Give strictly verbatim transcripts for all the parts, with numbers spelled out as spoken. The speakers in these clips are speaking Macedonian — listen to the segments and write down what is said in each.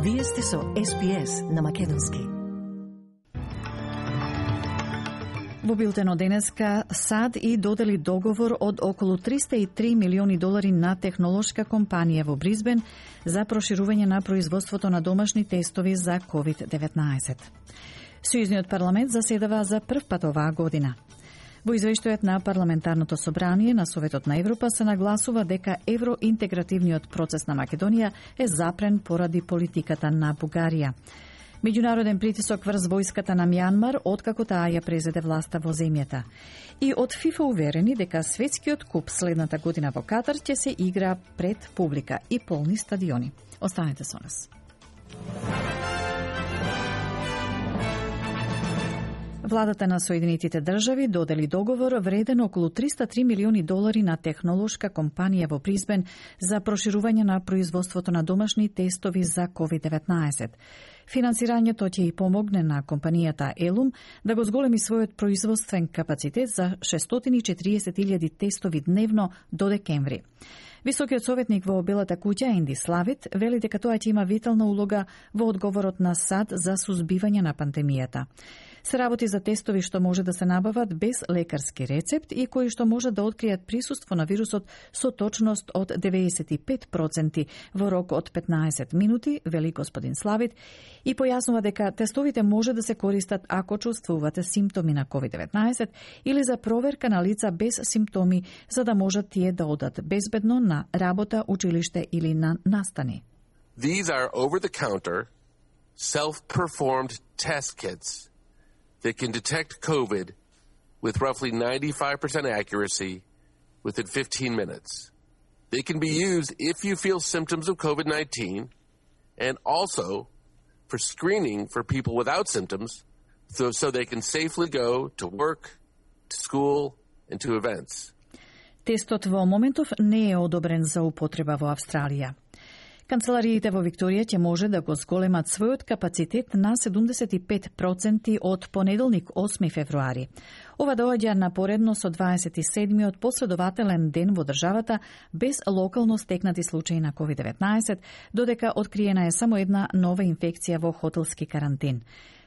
Вие сте со Ес Би Ес на Македонски. Во билтено денеска САД и додели договор од околу триста и три милиони долари на технолошка компанија во Бризбен за проширување на производството на домашни тестови за ковид деветнаесет. Сојузниот парламент заседава за прв пат оваа година. Во извештајот на Парламентарното собрание на Советот на Европа се нагласува дека евроинтегративниот процес на Македонија е запрен поради политиката на Бугарија. Меѓународен притисок врз војската на Мјанмар откако таа ја презеде власта во земјата. И од ФИФА уверени дека светскиот куп следната година во Катар ќе се игра пред публика и полни стадиони. Останете со нас. Владата на Соединетите држави додели договор вреден околу триста и три милиони долари на технолошка компанија во Бризбен за проширување на производството на домашни тестови за ковид деветнаесет. Финансирањето ќе и помогне на компанијата Елум да го зголеми својот производствен капацитет за шестстотини и четириесет илјади тестови дневно до декември. Високиот советник во Белата куќа Енди Славит вели дека тоа ќе има витална улога во одговорот на САД за сузбивање на пандемијата. Се работи за тестови што може да се набават без лекарски рецепт и кои што може да откријат присуство на вирусот со точност од деветдесет и пет проценти во рок од петнаесет минути, вели господин Славит, и појаснува дека тестовите може да се користат ако чувствувате симптоми на ковид деветнаесет или за проверка на лица без симптоми, за да можат тие да одат безбедно на работа, училиште или на настани. These are over-the-counter, self-performed test kits that can detect COVID with roughly ninety-five percent accuracy within fifteen minutes. They can be used if you feel symptoms of COVID nineteen and also for screening for people without symptoms so, so they can safely go to work, to school, and to events. Тестот во моментов не е одобрен за употреба во Австралија. Канцелариите во Викторија ќе може да го зголемат својот капацитет на седумдесет и пет проценти од понеделник осми февруари. Ова доаѓа напоредно со дваесет и седмиот последователен ден во државата без локално стекнати случаи на ковид деветнаесет, додека откриена е само една нова инфекција во хотелски карантин.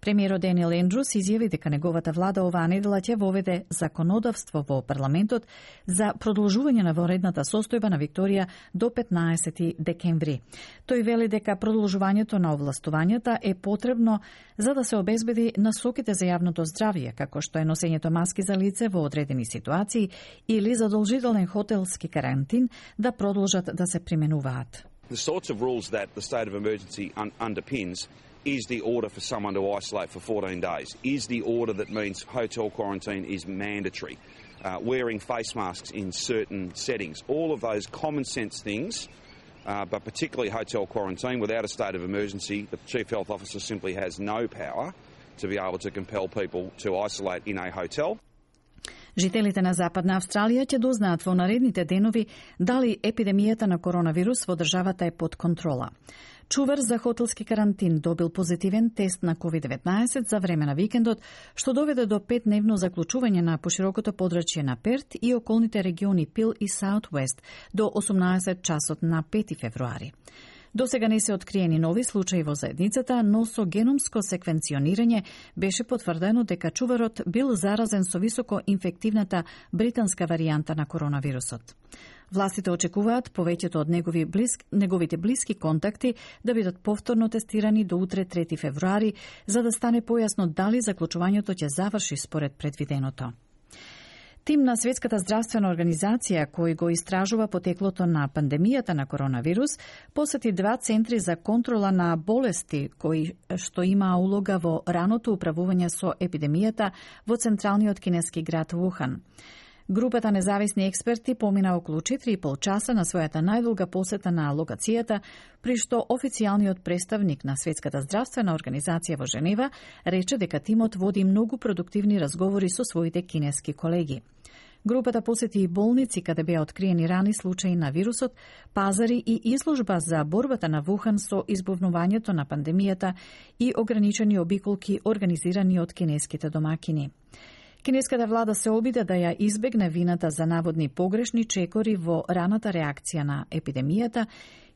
Премиерот Даниел Ендрус изјави дека неговата влада оваа недела ќе воведе законодавство во парламентот за продолжување на воредната состојба на Викторија до петнаесети декември. Тој вели дека продолжувањето на овластувањата е потребно за да се обезбеди насоките за јавното здравје, како што е носењето маски за лице во одредени ситуации или задолжителен хотелски карантин да продолжат да се применуваат. The sorts of rules that the state of emergency un- underpins is the order for someone to isolate for fourteen days, is the order that means hotel quarantine is mandatory, uh, wearing face masks in certain settings, all of those common sense things, uh, but particularly hotel quarantine. Without a state of emergency, the Chief Health Officer simply has no power to be able to compel people to isolate in a hotel. Жителите на Западна Австралија ќе дознаат во наредните денови дали епидемијата на коронавирус во државата е под контрола. Чувар за хотелски карантин добил позитивен тест на ковид деветнаесет за време на викендот, што доведе до петдневно заклучување на поширокото подрачје на Перт и околните региони Пил и Саут-Уест до осумнаесет часот на пети февруари. До сега не се откриени нови случаи во заедницата, но со геномско секвенционирање беше потврдено дека чуварот бил заразен со високо инфективната британска варијанта на коронавирусот. Властите очекуваат повеќето од негови близки, неговите блиски контакти да бидат повторно тестирани до утре трети февруари, за да стане појасно дали заклучувањето ќе заврши според предвиденото. Тим на Светската здравствена организација, кој го истражува потеклото на пандемијата на коронавирус, посети два центри за контрола на болести, кои што има улога во раното управување со епидемијата во централниот кинески град Вухан. Групата независни експерти помина околу четири и пол часа на својата најдолга посета на локацијата, при што официјалниот представник на Светската здравствена организација во Женева рече дека тимот води многу продуктивни разговори со своите кинески колеги. Групата посети и болници каде беа откриени рани случаи на вирусот, пазари и изложба за борбата на Вухан со избувнувањето на пандемијата и ограничени обиколки организирани од кинеските домакини. Кинеската влада се обиде да ја избегне вината за наводни погрешни чекори во раната реакција на епидемијата,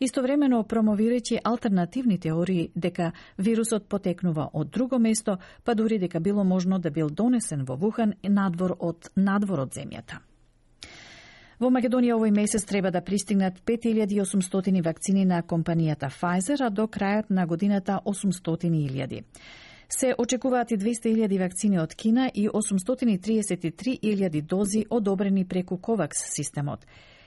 истовремено промовирајќи алтернативни теории дека вирусот потекнува од друго место, па дури дека било можно да бил донесен во Вухан надвор од надвор од земјата. Во Македонија овој месец треба да пристигнат пет илјади и осумстотини вакцини на компанијата Pfizer, а до крајот на годината осумстотини илјади. Се очекуваат и двесте илјади вакцини од Кина и осумстотини и триесет и три илјади дози одобрени преку Ковакс системот.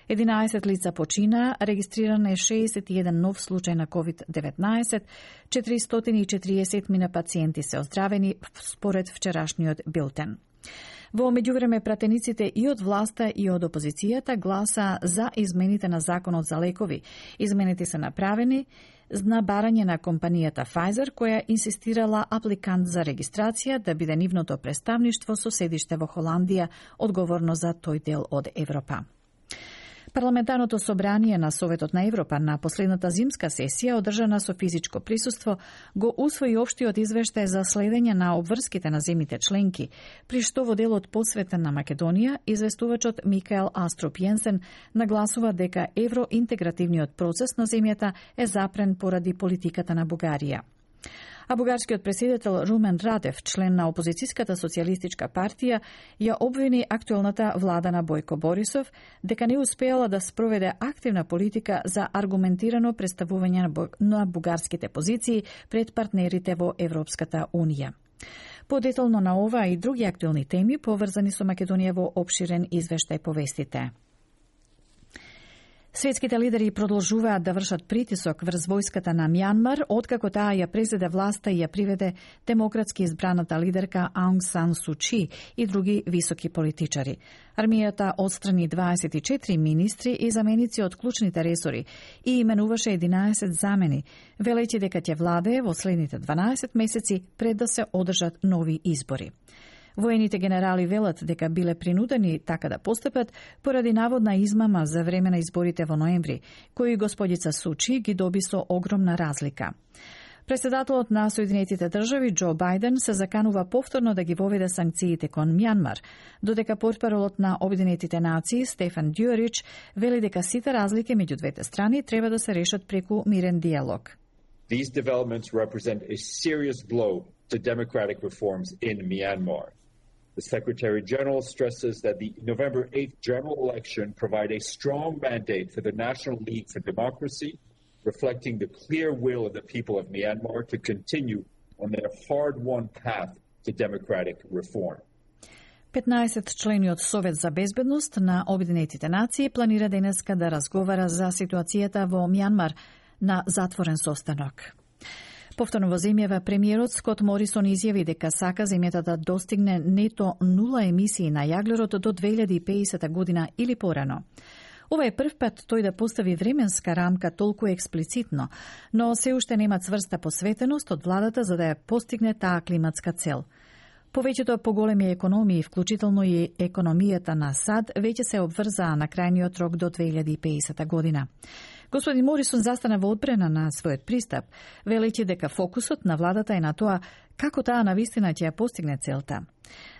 единаесет лица починаа, регистриран е шеесет и еден нов случај на ковид деветнаесет, четиристотини и четириесет мина пациенти се оздравени според вчерашниот билтен. Во меѓувреме пратениците и од власта и од опозицијата гласа за измените на законот за лекови. Измените се направени на барање на компанијата Pfizer, која инсистирала апликант за регистрација да биде нивното представништво со седиште во Холандија, одговорно за тој дел од Европа. Парламентарното собрание на Советот на Европа на последната зимска сесија, одржана со физичко присуство, го усвои општиот извештај за следење на обврските на земите членки, при што во делот посветен на Македонија, известувачот Микаел Аструп Јенсен нагласува дека евроинтегративниот процес на земјата е запрен поради политиката на Бугарија. А бугарскиот претседател Румен Радев, член на опозицијската социјалистичка партија, ја обвини актуелната влада на Бојко Борисов дека не успеала да спроведе активна политика за аргументирано представување на бугарските позиции пред партнерите во Европската Унија. Подетално на ова и други актуелни теми поврзани со Македонија во опширен извештај повестите. Светските лидери продолжуваат да вршат притисок врз војската на Мјанмар, откако таа ја презеде власта и ја приведе демократски избраната лидерка Аунг Сан Су Чи и други високи политичари. Армијата отстрани дваесет и четири министри и заменици од клучните ресори и именуваше единаесет замени, велејќи дека ќе владее во следните дванаесет месеци пред да се одржат нови избори. Воените генерали велат дека биле принудени така да постапат поради наводна измама за време на изборите во ноември, кои господица Сучи ги доби со огромна разлика. Председателот на Соединетите држави Џо Бајден се заканува повторно да ги воведе санкциите кон Мјанмар, додека портпаролот на Обединетите нации Стефан Дјуарич вели дека сите разлики меѓу двете страни треба да се решат преку мирен диалог. These developments represent a serious blow to democratic reforms in Myanmar. The Secretary General stresses that the November eighth general election provide a strong mandate for the National League for Democracy, reflecting the clear will of the people of Myanmar to continue on their hard-won path to democratic reform. петнаесет члениот Совет за безбедност на Обединетите нации планира денеска да разговара за ситуацијата во Мјанмар на затворен состанок. Повторно во земјава, премиерот Скот Морисон изјави дека сака земјата да достигне нето нула емисии на јаглерод до две илјади и педесета година или порано. Ова е прв пат тој да постави временска рамка толку експлицитно, но се уште нема цврста посветеност од владата за да ја постигне таа климатска цел. Повеќето поголеми економии, вклучително и економијата на САД, веќе се обврзаа на крајниот рок до две илјади и педесета година. Господин Морисон застана во одбрана на својот пристап, велејќи дека фокусот на владата е на тоа како таа навистина ќе ја постигне целта.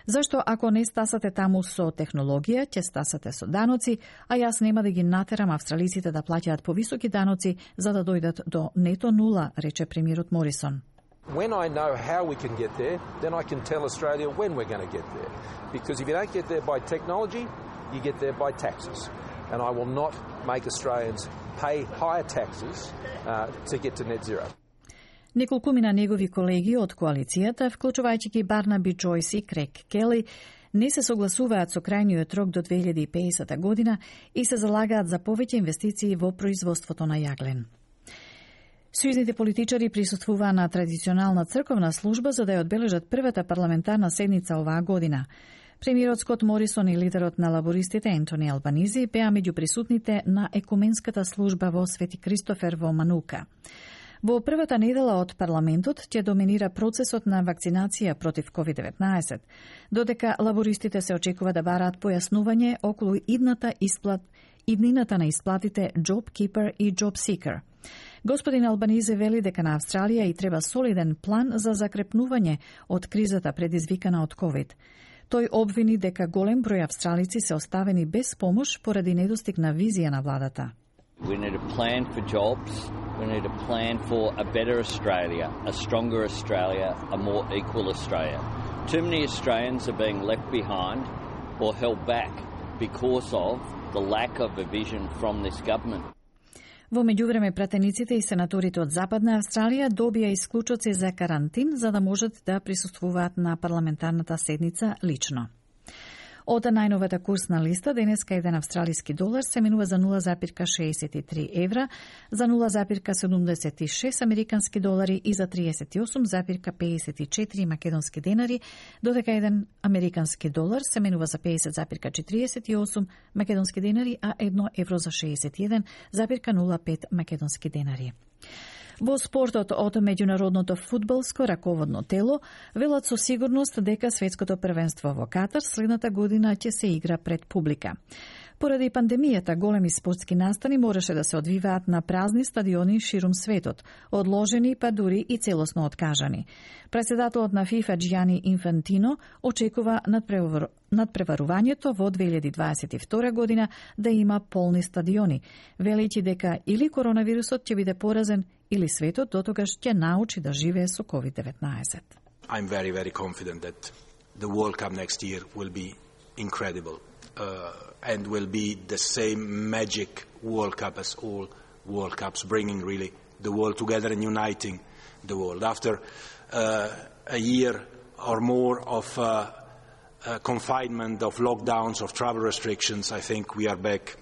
Зашто ако не стасате таму со технологија, ќе стасате со даноци, а јас нема да ги натерам австралиците да плаќаат повисоки даноци за да дојдат до нето нула, рече премиерот Морисон. When I know how we can get there, then I can tell Australia when we're going to get there. Because if you don't get there by technology, you get there by taxes. And I will not make Australians pay higher taxes uh, to get to net zero. Неколкумина негови колеги од коалицијата, вклучувајќи ги Барнаби Джойс и Крейг Кели, не се согласуваат со крајниот рок до две илјади и педесета година и се залагаат за повеќе инвестиции во производството на јаглен. Сојузните политичари присуствуваа на традиционална црковна служба за да ја одбележат првата парламентарна седница оваа година. Премиерот Скот Морисон и лидерот на лабористите Ентони Албанизи беа меѓу присутните на екуменската служба во Свети Кристофер во Манука. Во првата недела од парламентот ќе доминира процесот на вакцинација против ковид деветнаесет, додека лабористите се очекува да бараат појаснување околу идната исплат, иднината на исплатите Job Keeper и Job Seeker. Господин Албанизе вели дека на Австралија и треба солиден план за закрепнување од кризата предизвикана од ковид. Тој обвини дека голем број австралици се оставени без помош поради недостиг на визија на владата. We need a plan for jobs. We need a plan for a better Australia, a stronger Australia, a more equal Australia. Too many Australians are being left behind or held back because of the lack of a vision from this government. Во меѓувреме, пратениците и сенаторите од Западна Австралија добија исклучоци за карантин за да можат да присуствуваат на парламентарната седница лично. Од најновата курсна листа, денеска еден австралиски долар се менува за нула запирка шеесет и три евра, за нула запирка седумдесет и шест американски долари и за триесет и осум запирка пеесет и четири македонски денари, додека еден американски долар се менува за пеесет запирка четириесет и осум македонски денари, а едно евро за шеесет и еден запирка нула пет македонски денари. Во спортот од меѓународното фудбалско раководно тело велат со сигурност дека светското првенство во Катар следната година ќе се игра пред публика. Поради пандемијата, големи спортски настани мораше да се одвиваат на празни стадиони ширум светот, одложени па дури и целосно откажани. Председателот на ФИФА Џијани Инфантино очекува надпреварувањето во две илјади дваесет и втора година да има полни стадиони, велејќи дека или коронавирусот ќе биде поразен, или светот дотогаш ќе научи да живее со ковид деветнаесет. I'm very, very confident that the World Cup next year will be incredible uh, and will be the same magic World Cup as all World Cups, bringing really the world together and uniting the world. After uh, a year or more of uh, uh, confinement, of lockdowns, of travel restrictions, I think we are back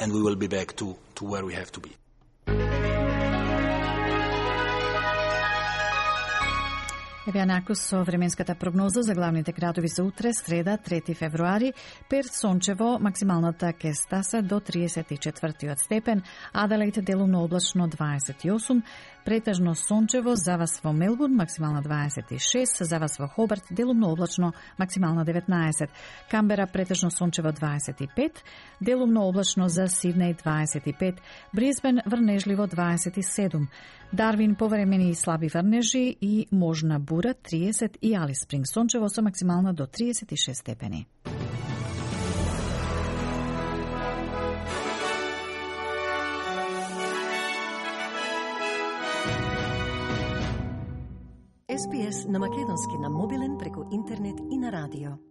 and we will be back to, to where we have to be. Еве накус со временската прогноза за главните градови за утре, среда, трети февруари. Перт сончево, максималната ќе стаса до триесет и четврти степен, Аделаид делумно облачно дваесет и осум, претежно сончево за вас во Мелбурн, максимална дваесет и шест, за вас во Хобарт делумно облачно, максимална деветнаесет, Камбера претежно сончево дваесет и пет, делумно облачно за Сиднеј дваесет и пет, Брисбен врнежливо дваесет и седум, Дарвин повремени и слаби врнежи и можна бура триесет и Алис Спринг сончево со максимална до триесет и шест степени. Ес Би Ес на македонски на мобилен преку интернет и на радио.